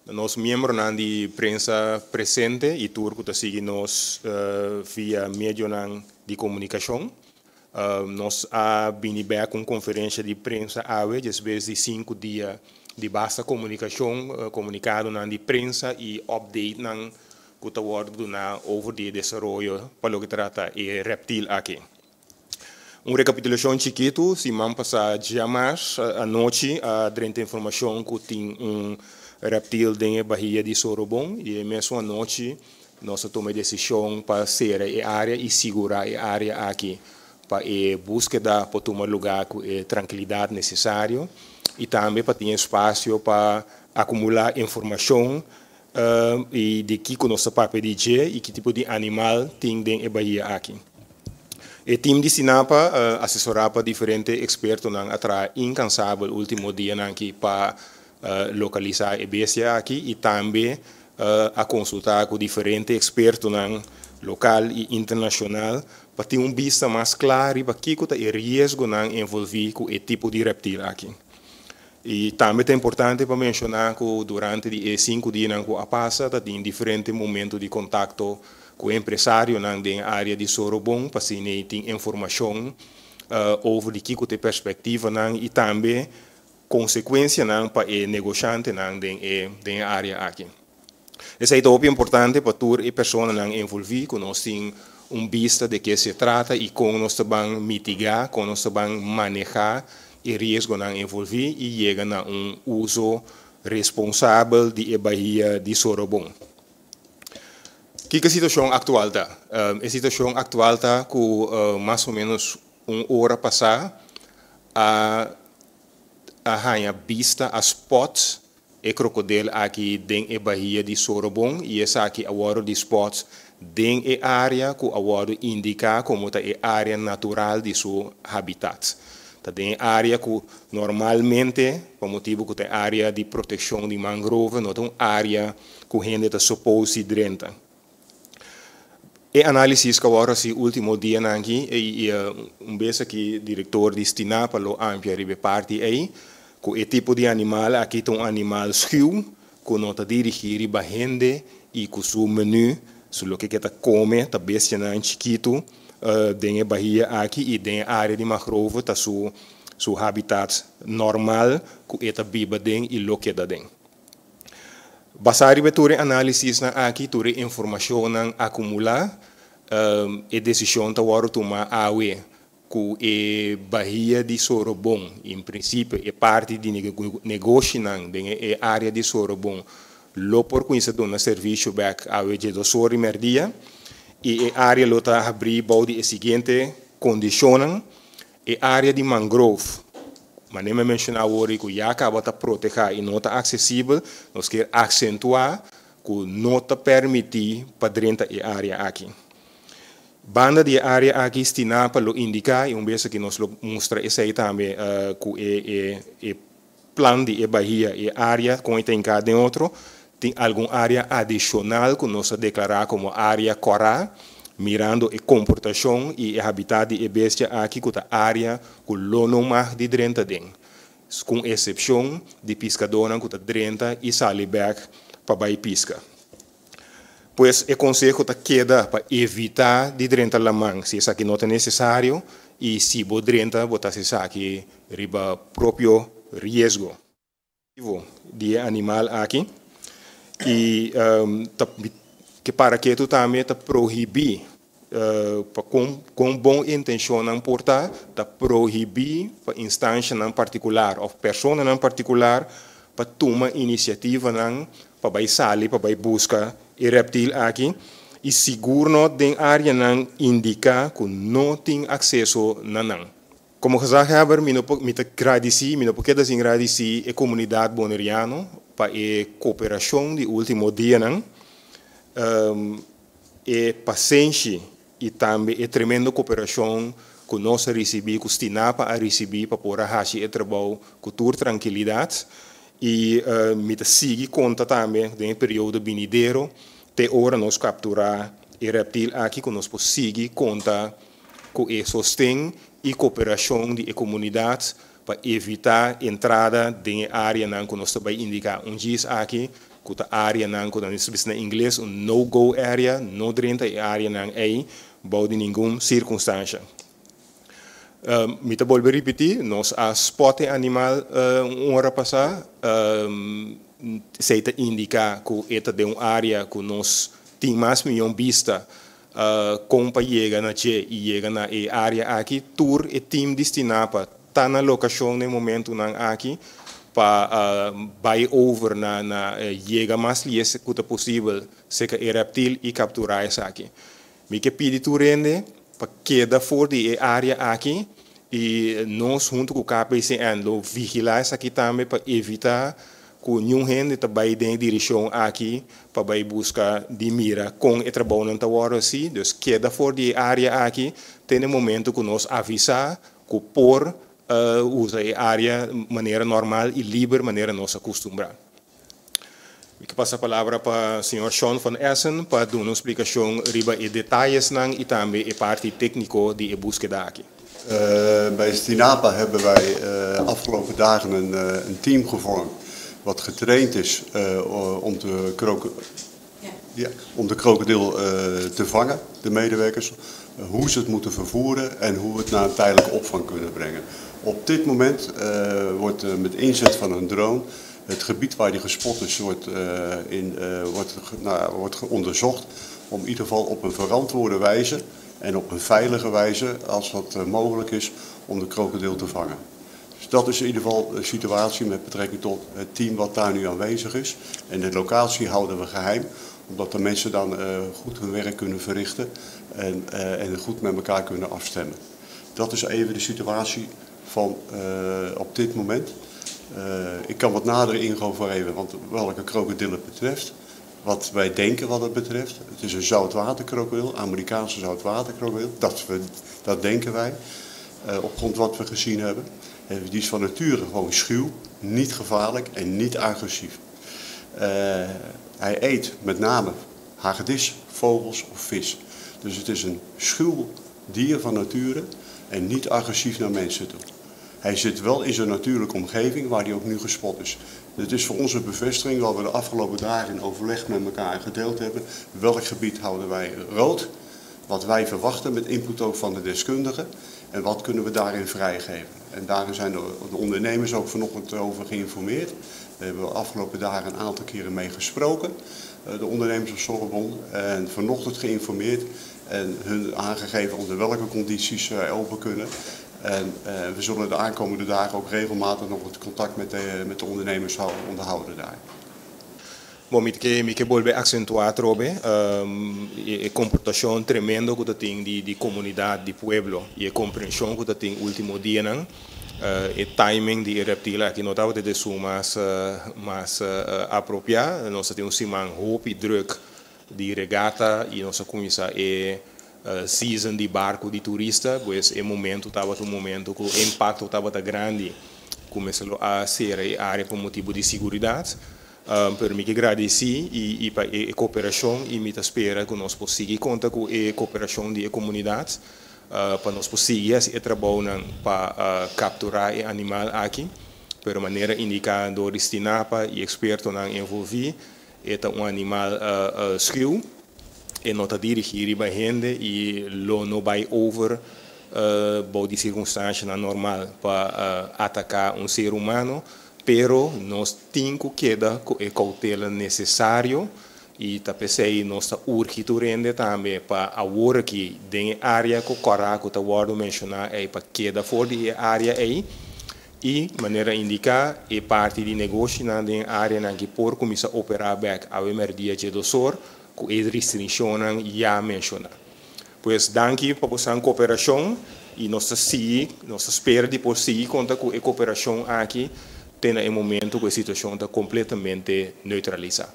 Nos miembronan di prensa presente i tur ku ta sigui nos via medionan di komunikashon. Nos a bini bèk ku un konferensha di prensa awe despues di sinku dia di basta komunikashon, komunikadonan di prensa i updatenan ku ta wòrdu duná over di e desaroyo pa loke trata e rèptil aki. Un rekapitulashon chikitu, siman pasá djamars anochi a drenta informashon ku tin un rèptil den e bahia di Sorobon i e mesun anochi nos a tuma e desishon pa sera e área i sigurá e área aki pa e búskeda por tuma lugá ku e trankilidat nesesario i tambe pa tin espasio pa akumulá informashon i di kiko nos ta papia di dje i ki tipo di animal tin den e bahia aki. E tim di Stinapa, asesorá pa diferente ekspertonan, a traha inkansabel último dianan aki pa lokalisá e bestia aki i tambe a konsultá ku diferente ekspertonan lokal i internashonal pa tin un bista mas kla riba kiko ta e riesgonan envolví ku e tipo di rèptil aki. I tambe ta importante pa menshoná ku durante di e sinku dianan ku a pasa ta tin diferente momento di kontakto ku empresarionan den e área di Sorobon pa asina ei tin informashon over di kiko ta e perspektivanan i tambe konsekuensianan pa e negoshantenan den e den e área aki. Esei ta hopi importante pa tur e personanan envolví ku nos tin un bista de ke se trata i kon nos ta ban mitigá, kon nos ta ban manehá e riesgonan envolví i yega na un uso responsabel di e bahia di Sorobon. Kiko e situashon aktual ta? E situashon aktual ta ku mas o ménos un ora pasá a a haña bista, a spòt e krokodel aki den e bahia di Sorobon i esaki a wòrdu di spòt den e área ku a wòrdu indiká komo ta e área natural di su habitat. Ta den e área ku normalmente, pa motibu ku ta e área di protekshon di mangrove, no ta un área ku hende ta supos di drenta. E análisis ku a wòrdu hasi último dianan aki i un bes aki direktor di Stinapa lo amplia riba e parti ei, ku e tipo di animal aki ta un animal schuw ku no ta dirigí riba hende i ku su menú, su loke ke ta kome ta bestianan chikitu den e bahia aki i den e área di mangrove ta su su habitat normal ku e ta biba den i lo keda den. Basá riba tur e análisisnan aki, tur e informashonnan akumulá, e desishon ta wòrdu tumá awe ku e bahia di Sorobon, en prinsipio e parti di negoshinan den e área di Sorobon lo por kuminsá duna servisio bèk awe dje dos or di mèrdia i e área lo ta habrí bou di e siguiente kondishonnan. E área di mangrove, manera mi a menshoná awor ku ya kaba ta protehá i no ta aksesibel, nos kier aksentuá ku no ta permití pa drenta e área aki. Banda di e área aki Stinapa lo indiká, i un bes aki nos lo mustra esei tambe ku e e plan di e bahia, e área kon e ta hinká den otro, tin algun área adishonal ku nos a deklará komo área kòrá, mirando e komportashon i e habitat di e bestia aki ku ta área ku lo no mag di drenta den, ku un esepshon di piskadónan ku ta drenta i sali bèk pa bai piska. Pues e konseho ta keda pa evitá di drenta laman si esaki no ta nesesario i si bo drenta bo ta hasi esaki riba propio riesgo. Di e animal aki i ta ke para ketu tambe ta prohibí pa kon kon bon intenshonnan por ta, ta prohibí pa instanshanan partikular òf personanan partikular pa tuma inisiativanan pa bai sali pa bai buska e rèptil aki i sigur no den áreanan indiká ku no tin akseso na nan. Komo gezaghebber mi no por mi ta gradisí mi no por keda sin gradisí e komunidat boneriano pa e koperashon di último dianan, e pasenshi i tambe e tremendo koperashon ku nos a risibí, ku Stinapa a risibí pa por a hasi e trabou ku tur trankilidat. I mi ta sigui konta tambe den e periodo binidero te ora nos kapturá e rèptil aki ku nos por sigui konta ku e sosten i koperashon di e komunidat pa evitá entrada den e áreanan ku nos ta bai indiká un djis aki. Ku ta áreanan ku nan bisa na ingles un no-go area, no drenta e áreanan ei bou di ningun sirkunstansia. Mi ta bolbe ripití, nos a spot e animal un ora pasá, esei ta indiká ku e ta den un área ku nos tin mas mihó bista kon pa yega na dje i yega na e área aki. Tur e tim di Stinapa ta na lokashon na e momentunan aki pa bai over na na yega mas lies ku ta posibel serka e rèptil i kapturá esaki. Mi ke pidi tur hende pa keda for di e área aki i nos huntu ku KPCN lo vigilá esaki tambe pa evitá ku niun hende ta bai den e direkshon aki pa bai buska di mira kon e trabounan ta wòrdu hasi. Dus keda for di e área aki te na e momentu ku nos avisá ku por usa e área manera normal i liber manera nos a kustumbrá. Mi ke pasa palabra pa señor Sean van Essen pa duna un splikashon riba e detayesnan i tambe e parti tékniko di e búskeda aki. Bij Stinapa hebben wij afgelopen dagen een team gevormd wat getraind is om de krokodil te vangen, de medewerkers, hoe ze het moeten vervoeren en hoe we het naar een tijdelijke opvang kunnen brengen. Op dit moment wordt met inzet van een drone het gebied waar die gespot is, wordt, nou, wordt onderzocht om in ieder geval op een verantwoorde wijze en op een veilige wijze, als dat mogelijk is, om de krokodil te vangen. Dus dat is in ieder geval de situatie met betrekking tot het team wat daar nu aanwezig is. En de locatie houden we geheim, omdat de mensen dan goed hun werk kunnen verrichten en goed met elkaar kunnen afstemmen. Dat is even de situatie van op dit moment. Ik kan wat nader ingaan voor even, want welke krokodil het betreft. Wat wij denken wat het betreft. Het is een zoutwaterkrokodil, Amerikaanse zoutwaterkrokodil. Dat denken wij, op grond wat we gezien hebben. Die is van nature gewoon schuw, niet gevaarlijk en niet agressief. Hij eet met name hagedis, vogels of vis. Dus het is een schuw dier van nature en niet agressief naar mensen toe. Hij zit wel in zijn natuurlijke omgeving waar hij ook nu gespot is. Het is voor ons een bevestiging wat we de afgelopen dagen in overleg met elkaar gedeeld hebben. Welk gebied houden wij rood? Wat wij verwachten met input ook van de deskundigen. En wat kunnen we daarin vrijgeven? En daarin zijn de ondernemers ook vanochtend over geïnformeerd. Daar hebben we de afgelopen dagen een aantal keren mee gesproken. De ondernemers op Sorobon. En vanochtend geïnformeerd en hun aangegeven onder welke condities zij open kunnen. En we zullen de aankomende dagen ook regelmatig nog het contact met de ondernemers onderhouden daar. Bon, mi ke bolbe aksentuá atrobe e komportashon tremendo ku tin di komunidat, di pueblo i e komprenshon ku tin último dianan. E timing di reptil aki no tabata esun mas apropiá. Nos tin un siman hopi drùk di regata i nos a kuminsá e season di barku di turista, pues e momento tabata un momento ku e impakto tabata grandi, kuminsá a sera e área pa motibu di seguridat. Pero mi ke gradisí i pa e koperashon i mi ta spera ku nos por sigui konta ku e koperashon di komunidat pa nos por sigui e trabou pa kapturá e animal aki. Pero manera indiká dor di Stinapa i ekspertonan envolví, e ta un animal schuw e no ta dirigí riba hende i lo no bai over bou di sirkunstansianan normal pa ataká un ser humano, pero nos tin ku keda ku e koutela nesesario i ta p'esei nos ta urgi tur hende tambe pa awor aki den e área ku kòrá ku ta wòrdu menshoná ei pa keda for di e área ei i manera indiká e parti di negoshinan den áreanan ku por kuminsá operá bèk awe mèrdia 12'or ku e restrikshonnan ya menshoná. Pues danki pa boso koperashon i nos ta spera di por sigui konta ku e koperashon aki te na e momento ku e situashon ta kompletamente neutralisá.